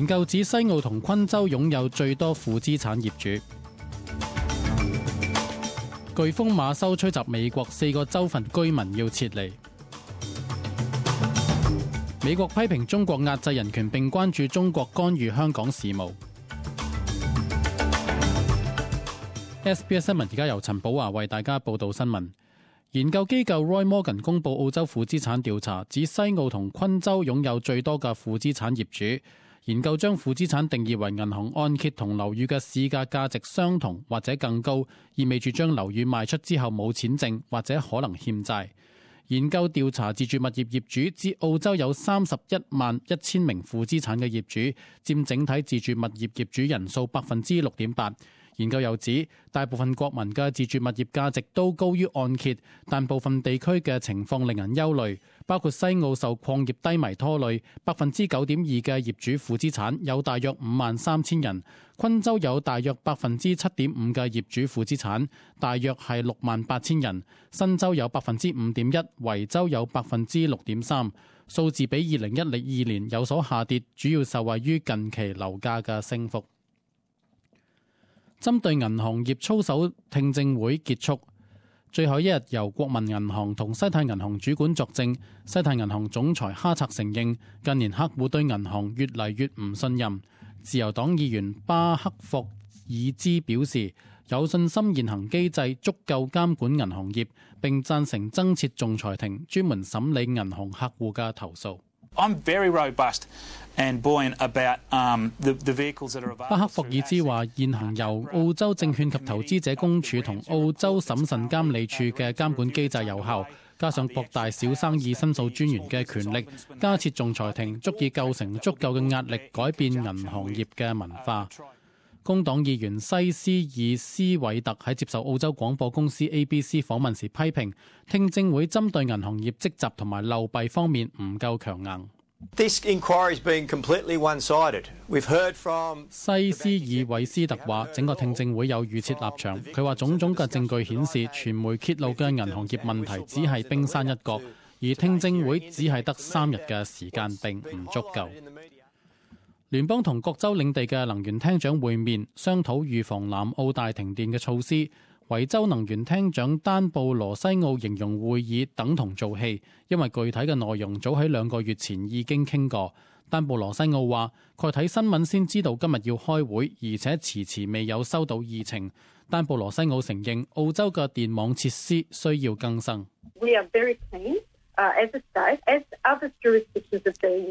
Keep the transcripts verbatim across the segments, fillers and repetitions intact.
研究指西澳同昆州擁有最多負資產業主。颶風馬修吹襲美國，四個州份居民要撤離。美國批評中國壓制人權，並關注中國干預香港事務。S B S 新聞而家由陳寶華為大家報道新聞。研究機構 Roy Morgan 公佈澳洲負資產調查，指西澳同昆州擁有最多嘅負資產業主。研究將負資產定義為銀行按揭同樓宇嘅市價價值相同或者更高，意味住將樓宇賣出之後冇錢剩或者可能欠債。研究調查自住物業業主，指澳洲有三十一萬一千名負資產嘅業主，佔整體自住物業業主人數百分之六點八。研究又指，大部分國民嘅自住物業價值都高於按揭，但部分地區嘅情況令人憂慮，包括西澳受礦業低迷拖累，百分之九點二嘅業主負資產，有大約五萬三千人；昆州有大約百分之七點五嘅業主負資產，大約係六萬八千人；新州有百分之五點一，維州有百分之六點三。數字比二零一二年有所下跌，主要受惠於近期樓價嘅升幅。針對銀行業操守聽證會結束，最後一日由國民銀行同西太銀行主管作證。西太銀行總裁哈策承認，近年客戶對銀行越嚟越唔信任。自由黨議員巴克霍爾茲表示，有信心現行機制足夠監管銀行業，並贊成增設仲裁庭，專門審理銀行客戶嘅投訴。I'm very robust and buoyant about um, the, the vehicles that are available. 巴克霍爾茲話：現行由澳洲證券及投資者公署同澳洲審慎監理處嘅監管機制有效，加上擴大小生意申訴專員嘅權力，加設仲裁庭，足以構成足夠嘅壓力，改變銀行業嘅文化。工黨議員西斯爾斯韋特喺接受澳洲廣播公司 A B C 訪問時批評，聽證會針對銀行業積習同埋漏弊方面唔夠強硬。This inquiry has been completely one-sided. We've heard from 西斯爾韋斯特話，整個聽證會有預設立場。佢話種種嘅證據顯示，傳媒揭露嘅銀行業問題只係冰山一角，而聽證會只係得三日嘅時間並唔足夠。聯邦同各州領地嘅能源廳長會面，商討預防南澳大停電嘅措施。維州能源廳長丹布羅西奧形容會議等同做戲，因為具體嘅內容早喺兩個月前已經傾過。丹布羅西奧話：佢睇新聞先知道今日要開會，而且遲遲未有收到議程。丹布羅西奧承認澳洲嘅電網設施需要更新。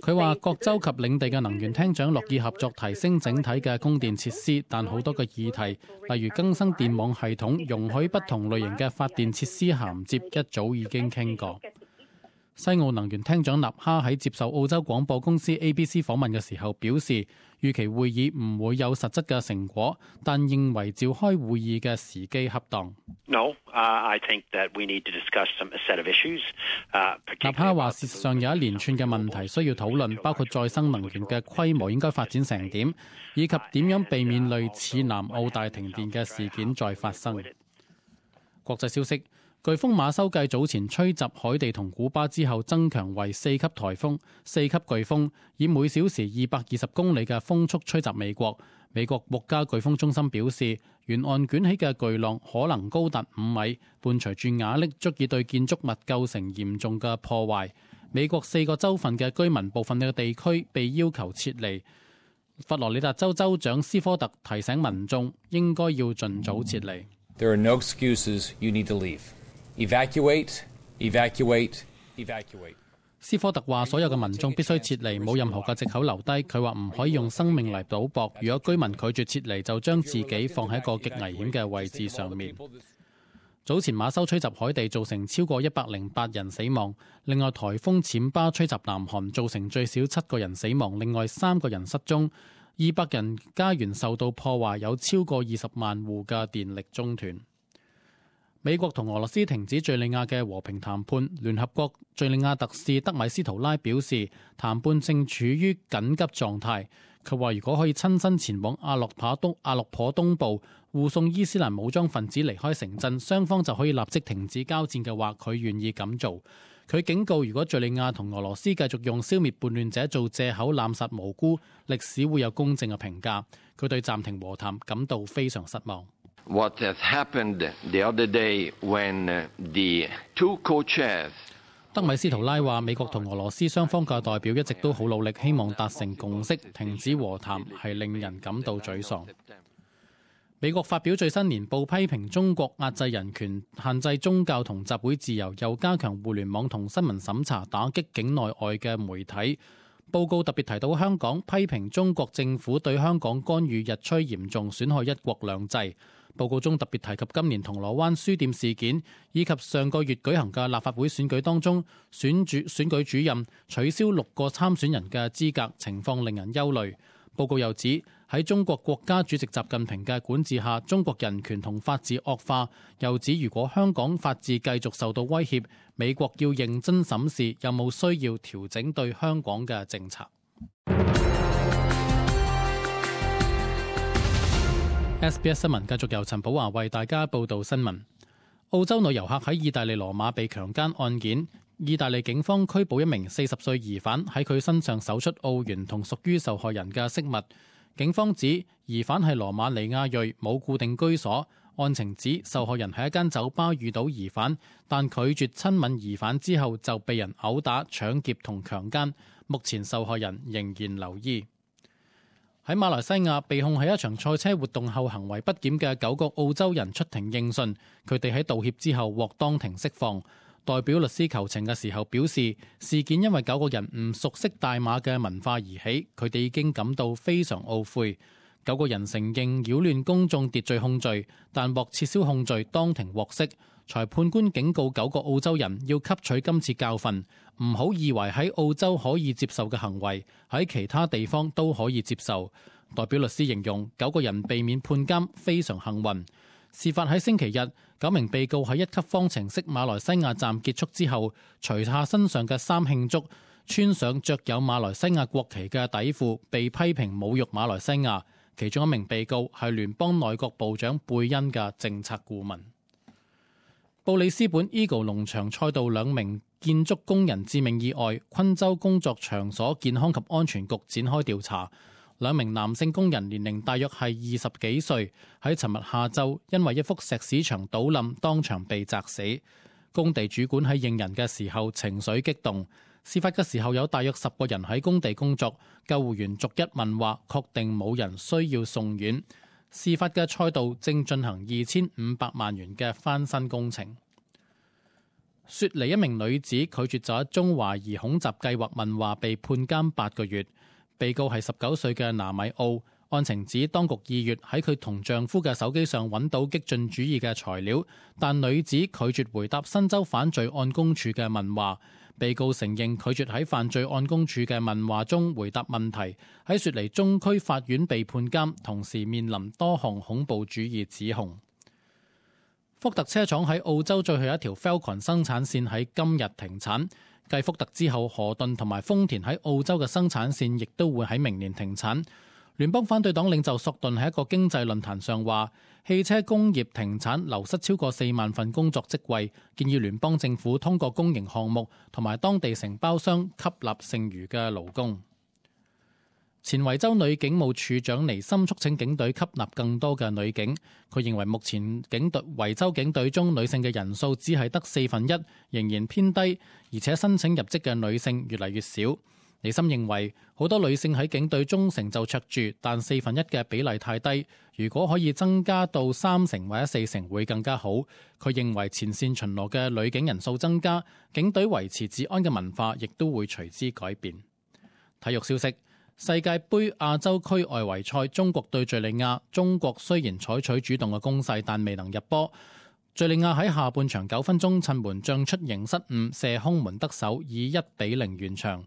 佢話各州及領地嘅能源廳長樂意合作提升整體嘅供電設施，但好多嘅議題，例如更新電網系統、容許不同類型嘅發電設施銜接，一早已經傾過。西澳能源廳長納哈喺接受澳洲廣播公司 A B C 訪問嘅時候表示，預期會議唔會有實質嘅成果，但認為召開會議嘅時機恰當。No, uh, I think that we need to discuss some set of issues. 納哈話：事實上有一連串嘅問題需要討論，包括再生能源嘅規模應該發展成點，以及點樣避免類似南澳大停電嘅事件再發生。國際消息。颶風馬修繼早前吹襲海地同古巴之後，增強為四級颱風、四級颶風，以每小時二百二十公里嘅風速吹襲美國。美國國家颶風中心表示，沿岸捲起嘅巨浪可能高達五米，伴隨住瓦礫，足以對建築物構成嚴重嘅破壞。美國四個州份嘅居民部分嘅地區被要求撤離。佛羅里達州州長斯科特提醒民眾應該要盡早撤離。There are no excuses. You need to leave.Evacuate, evacuate, evacuate. 斯科特話：所有嘅民眾必須撤離，冇任何嘅藉口留低。佢話唔可以用生命嚟賭博。如果居民拒絕撤離，就將自己放喺一個極危險嘅位置上面。早前馬修吹襲海地，造成超過一百零八人死亡。另外，颱風暹巴吹襲南韓，造成最少七個人死亡，另外三個人失蹤，二百人家園受到破壞，有超過二十萬戶嘅電力中斷。美國同俄羅斯停止敘利亞嘅和平談判。聯合國敘利亞特使德米斯圖拉表示，談判正處於緊急狀態。佢話：如果可以親身前往阿洛帕東阿洛頗東部護送伊斯蘭武裝分子離開城鎮，雙方就可以立即停止交戰嘅話，佢願意咁做。佢警告，如果敍利亞同俄羅斯繼續用消滅叛亂者做藉口濫殺無辜，歷史會有公正嘅評價。佢對暫停和談感到非常失望。What has happened the other day when the two co-chairs 德米斯圖拉話：美國同俄羅斯雙方嘅代表一直都好努力，希望達成共識，停止和談係令人感到沮喪。美國發表最新年報，批評中國壓制人權、限制宗教同集會自由，又加強互聯網同新聞審查，打擊境內外嘅媒體。報告特別提到香港，批評中國政府對香港干預日趨嚴重，損害一國兩制。報告中特別提及今年銅鑼灣書店事件，以及上個月舉行嘅立法會選舉當中，選主選舉主任取消六個參選人嘅資格，情況令人憂慮。報告又指喺中國國家主席習近平嘅管治下，中國人權同法治惡化。又指如果香港法治繼續受到威脅，美國要認真審視有冇需要調整對香港嘅政策。S B S 新聞繼續由陳寶華為大家報道新聞。澳洲女遊客喺意大利羅馬被強姦案件，意大利警方拘捕一名四十歲疑犯，喺佢身上搜出澳元同屬於受害人嘅飾物。警方指疑犯係羅馬尼亞裔，冇固定居所。案情指受害人喺一間酒吧遇到疑犯，但拒絕親吻疑犯之後就被人毆打、搶劫同強姦。目前受害人仍然留醫。喺馬來西亞被控喺一場賽車活動後行為不檢嘅九個澳洲人出庭應訊，佢哋喺道歉之後獲當庭釋放。代表律師求情嘅時候表示，事件因為九個人唔熟悉大馬嘅文化而起，佢哋已經感到非常懊悔。九個人承認擾亂公眾秩序控罪，但獲撤銷控罪，當庭獲釋。裁判官警告九個澳洲人要吸取今次教訓，唔好以為喺澳洲可以接受嘅行為，喺其他地方都可以接受。代表律師形容九個人避免判監非常幸運。事發喺星期日，九名被告喺一級方程式馬來西亞站結束之後，除下身上嘅衫慶祝，穿上着有馬來西亞國旗嘅底褲，被批評侮辱馬來西亞。其中一名被告係聯邦內閣部長貝恩嘅政策顧問。布里斯本 Eagle 農場賽道兩名建築工人致命意外，昆州工作場所健康及安全局展開調查。兩名男性工人年齡大約係二十幾歲，喺尋日下晝因為一幅石屎牆倒冧，當場被砸死。工地主管喺應人嘅時候情緒激動。事發嘅時候有大約十個人喺工地工作，救護員逐一問話，確定冇人需要送院。事發嘅賽道正進行二千五百萬元嘅翻新工程。雪梨一名女子拒絕就一宗懷疑恐襲計劃問話，被判監八個月。被告係十九歲嘅拿米奧。案情指當局二月喺佢同丈夫嘅手機上揾到激進主義嘅材料，但女子拒絕回答新州犯罪案公署嘅問話。被告承認拒絕喺犯罪案公署嘅問話中回答問題，喺雪梨中區法院被判監，同時面臨多項恐怖主義指控。福特車廠喺澳洲最後一條 Falcon 生產線喺今日停產，繼福特之後，何頓同埋豐田喺澳洲嘅生產線亦都會喺明年停產。聯邦反對黨領袖索頓喺一個經濟論壇上話，汽車工業停產流失超過四萬份工作職位，建議聯邦政府通過公營項目同埋當地承包商吸納剩餘嘅勞工。前維州女警務處長尼森促請警隊吸納更多嘅女警。佢認為目前警隊維州警隊中女性嘅人數只係得四分一，仍然偏低，而且申請入職嘅女性越嚟越少。尼森認為好多女性喺警隊中成就卓著，但四分一嘅比例太低，如果可以增加到三成或者四成會更加好。佢認為前線巡邏嘅女警人數增加，警隊維持治安嘅文化亦都會隨之改變。體育消息：世界盃亞洲區外圍賽，中國對敘利亞，中國雖然採取主動嘅攻勢，但未能入波。敘利亞喺下半場九分鐘趁門將出迎失誤，射空門得手，以一比零完場。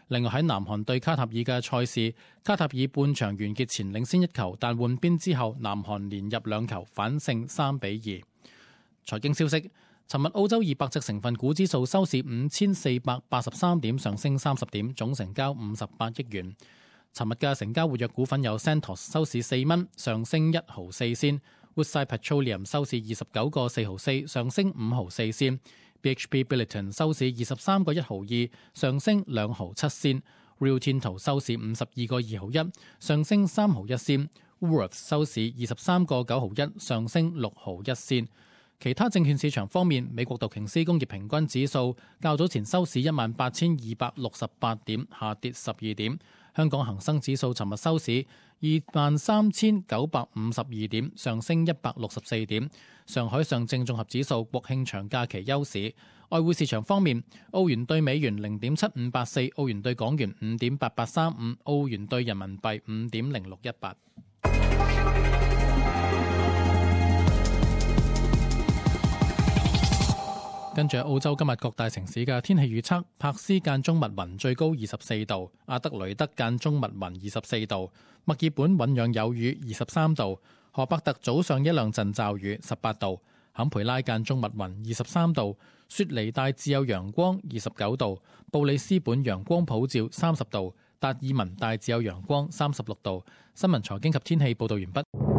另外喺南韓對卡塔爾嘅賽事，卡塔爾半場完結前領先一球，但換邊之後南韓連入兩球，反勝三比二。財經消息：尋日澳洲二百隻成分股指數收市五千四百八十三點，上升三十點，總成交五十八億元。尋日嘅成交活躍股份有 Santos 收市四蚊，上升一毫四仙；Woodside Petroleum 收市二十九個四毫四，上升五毫四仙； B H P Billiton 收市二十三個一毫二，上升兩毫七仙。Rio Tinto 收市五十二個二毫一，上升三毫一仙。Woolworths 收市二十三個九毫一，上升六毫一仙。其他證券市場方面，美國道瓊斯工業平均指數較早前收市一萬八千二百六十八點，下跌十二點。香港恒生指數尋日收市二萬三千九百五十二點，上升一百六十四點。上海上證綜合指數國慶長假期休市。外匯市場方面，澳元對美元零點七五八四，澳元對港元五點八八三五，澳元對人民幣五點零六一八。跟住澳洲今日各大城市嘅天氣預測：柏斯間中密雲，最高二十四度；阿德雷德間中密雲，二十四度；墨爾本醞釀有雨，二十三度；荷伯特早上一兩陣驟雨，十八度；坎培拉間中密雲，二十三度；雪梨大致有陽光，二十九度；布里斯本陽光普照，三十度；達爾文大致有陽光，三十六度。新聞財經及天氣報導完畢。